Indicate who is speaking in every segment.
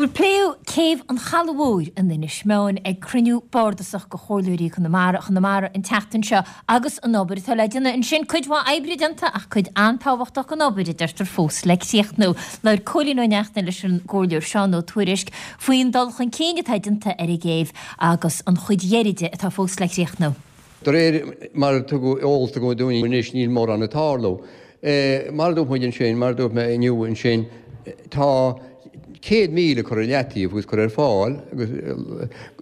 Speaker 1: Bhuel, pléadh céibh an Chalaidh Mhóir in Inis Meáin ag cruinniú bardasach de Chomhairleoirí Chonamara Chonamara an tseachtain seo agus an obair atá le déanamh ansin. Cuid mhaith oibre déanta ach cuid an-tábhachtach den obair, a deirtear, fós le críochnú. Labhair Cóilín Ó Neachtain leis an gComhairleoir Seán Ó Tuairisg faoin dul chun cinn atá déanta ar an gcéibh agus an chuid dheiridh di atá fós le críochnú.
Speaker 2: De réir mar a tugadh eolas dúinn anois níl mórán ag tarlú. Mar a dúirt muid ansin, mar a dúirt mé inniu ansin, tá 100,000 curtha i leataobh agus curtha ar fáil agus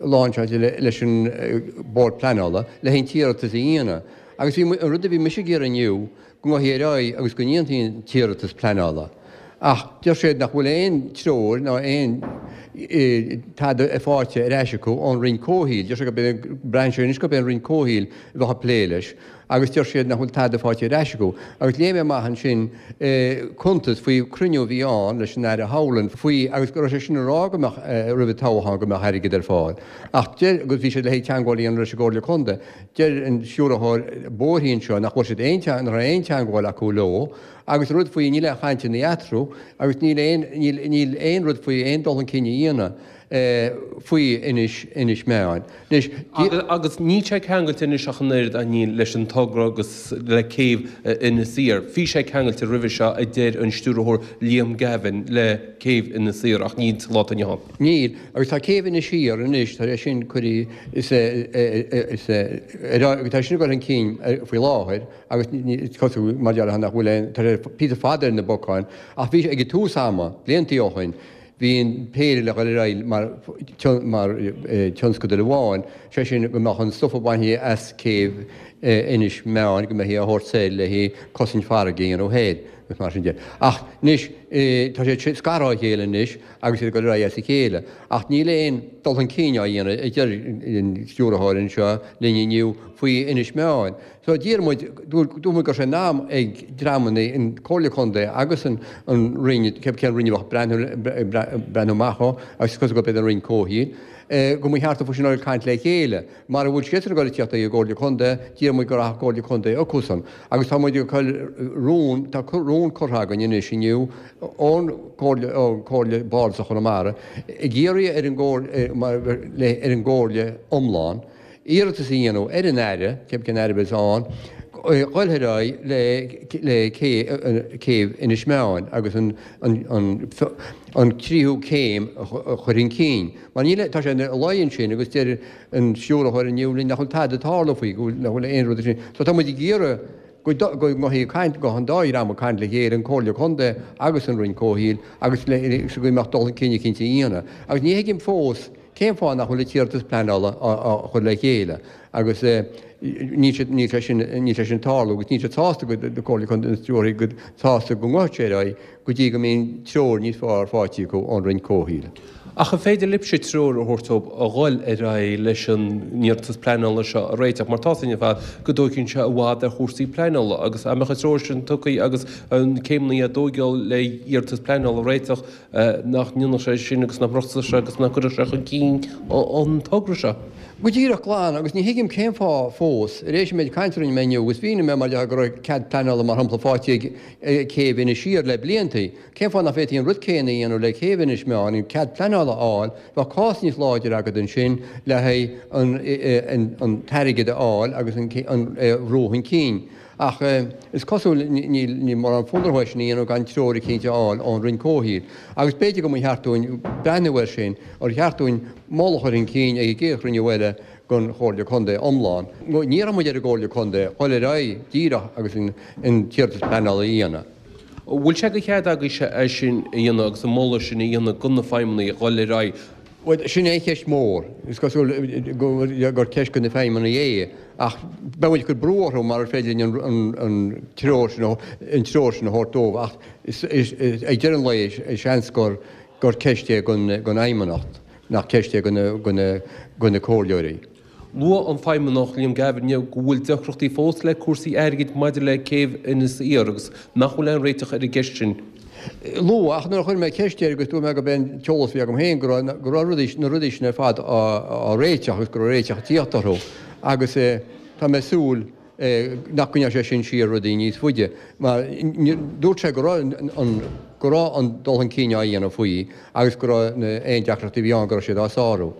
Speaker 2: láinseáilte leis an Bord Pleanála le haghaidh an t-iarratas a dhéanamh. Agus bhí, an rud a bhí mise ag iarraidh inniu, go ngabhfaí ar aghaidh agus go ndéanfaí an t-iarratas pleanála. Ach deir siad nach bhfuil aon treoir ná aon tada faighte ar ais acu ón Roinn Comhshaoil. Deir siad gurb é, braitheann sé anois gurb é an Roinn Comhshaoil a bheadh ag plé leis agus deir siad nach bhfuil tada faighte ar ais acu. Agus léigh mé amach ansin cuntas faoi chruinniú a bhí ann leis an Aire Howlin faoi agus go raibh sé sin ag rá go mbeadh roimh an toghchán go mbeadh airgead ar fáil. Ach deir, agus bhí siad le haghaidh teagmháil a dhéanamh leis an gComhairle Contae. Deir an stiúrthóir bóithre anseo nach bhfuil siad aon, nach raibh aon teagmháil acu leo agus rud faoi, níl aon chainteanna eatarthu agus níl aon, níl, níl aon rud faoi aon dul chun cinn a dhéanamh faoi Inis, Inis Meáin.
Speaker 3: Anois, Agus níl sé ceangailte anois ach an oiread, a Neil, leis an togra agus le céibh Inis Oírr. Bhí sé ceangailte roimhe seo, a deir an stiúrthóir Liam Gavin, le céibh Inis Oírr ach níl sa lá atá inniu ann.
Speaker 2: Níl, agus tá céibh Inis Oírr anois, tá sé sin curtha, is tá sin ag dul chun cinn faoi láthair agus is cosúil mar déarfá nach bhfuil aon, tá sé píosa fada ar na bacáin, ach bhí sé ag tús ama, bliantaí ó shin, bhí an péire le dhul ar aghaidh mar mar tionscadal amháin, sé sin go mbeadh an stuif a bhainfí as céibh Inis Meáin, go mbeifí á thabhairt soir le haghaidh cosaint farraige a dhéanamh thoir agus mar sin de. Ach anois, tá sé scartha ó chéile anois agus iad ag dul ar aghaidh as a chéile. Ach níl aon dul chun cinn á dhéanamh, a deir an stiúrthóir anseo linn inniu faoi Inis Meáin. So d'iarr muid, dúirt muid go raibh sé in am ag dreamanna, an Comhairle Contae agus an Roinn, cé cén Roinn a bheadh ag breathnú amach dhó, agus is cosúil gurb iad an Roinn Comhshaoil, go mba cheart dóibh sin a dhul ag caint le chéile. Mara bhfuil siadsan ag dul ag tíocht ag an gComhairle Contae, d'iarr muid go rachadh Comhairle Contae chucusan. Agus tá muid ag cur rún, tá rún curtha againn anois inniu ón gComhairle, ó Chomhairle Bardasach Chonamara, ag iarraidh ar an gComhairle, ar an gComhairle iomlán, iarratas a dhéanamh ar an Aire, cé cén Aire a bheas ann, dhul ar aghaidh le le céibh Inis Meáin agus an an an tríú céim a chur chun cinn. Mar níl, tá sé ina luí ansin agus deir an stiúrthóir inniu linn nach bhfuil tada ag tarlú faoi, go bhfuil, nach bhfuil aon rud ansin. So tá muid ag iarraidh go go ngabhfaí ag caint, go an dá dhream ag caint le chéile, an Comhairle Contae agus an Roinn Comhshaoil agus le so go mbeadh dul chun cinn eicínt á dhéanamh. Agus ní thuigim fós cén fáth nach bhfuil an t-iarratas pleanála á chur le chéile agus níl sé, níl sé sin, níl sé sin ag tarlú agus níl siad sásta go, Comhairle Contae, an stiúrthóir go sásta go ngabhfadh sé ar aghaidh go dtí go mbíonn treoir níos fearr faighte acu ón Roinn Comhshaoil.
Speaker 3: Ach an féidir libhse treoir a thabhairt dóibh a dhul ar aghaidh leis an iarratas pleanála seo a réiteach, mar tá 's againn ar fad go dtóigeann sé i bhfad ar chúrsaí pleanála agus dá mbeadh an treoir sin tugtha agus an céimeanna á dtóigeáil le iarratas pleanála a réiteach, nach ndéanfadh sé sin agus nach mbrostfadh sé agus nach gcuirfeadh sé chun cinn an togra seo?
Speaker 2: Go díreach glan, agus ní thuigim cén fáth fós, ar éis an méid cainte a rinne mé inniu, agus mhínigh mé mar a déarfá go raibh cead pleanála mar shampla faighte ag céibh Inis Oírr le bliantaí. Cén fáth nach bhféadfaí an rud céanna a dhéanamh le céibh Inis Meáin, an cead pleanála a fháil, bheadh cás níos láidre agat ansin le haghaidh an t-airgead a fháil agus an é a bhrú chun cinn. Ach is cosúil níl mórán fonn orthu é sin a dhéanamh gan treoir eicínt a fháil ón Roinn Comhshaoil. Agus b'fhéidir go mba cheart dúinn breathnú air sin, ar cheart dúinn moladh a chur chun cinn ag an gcéad chruinniú eile den Chomhairle Contae iomlán. Ní iarrfaidh muid ar an gComhairle Contae dhul ar aghaidh díreach agus an t-iarratas pleanála a dhéanamh.
Speaker 3: An bhfuil sé de chead agaibhse é sin a dhéanamh agus an moladh sin a dhéanamh do na feidhmeannaigh dhul ar aghaidh?
Speaker 2: Bhuel, sin é an cheist mhór. Is cosúil gur ceist do na feidhmeannaigh é, ach beidh muid ag cur brú orthu mar is féidir linn an treoir sin an treoir sin a thabhairt dóibh ach ag deireadh an lae seans gur ceist é don Fheidhmeannacht. nach ceist é do na comhairleoirí.
Speaker 3: Luaigh an Feidhmeannach Liam Gavin inniu go bhfuil deacrachtaí fós le cúrsaí airgid maidir le céibh Inis Oírr agus nach bhfuil aon réiteach ar an gceist sin.
Speaker 2: Luaigh, ach nuair a chuir mé ceist air agus dúirt mé gurb é an t-eolas a bhí agam féin go raibh go raibh rudaí na rudaí sin ar fad á réiteach agus go raibh réiteach ag tíocht orthu agus tá mé ag súil. Nach gcoinneodh sé sin siar rudaí níos faide? Mar dúirt sé go raibh an go raibh an dul chun cinn á dhéanamh faoi agus go raibh aon deacrachtaí a bhí ann go raibh siad á sárú.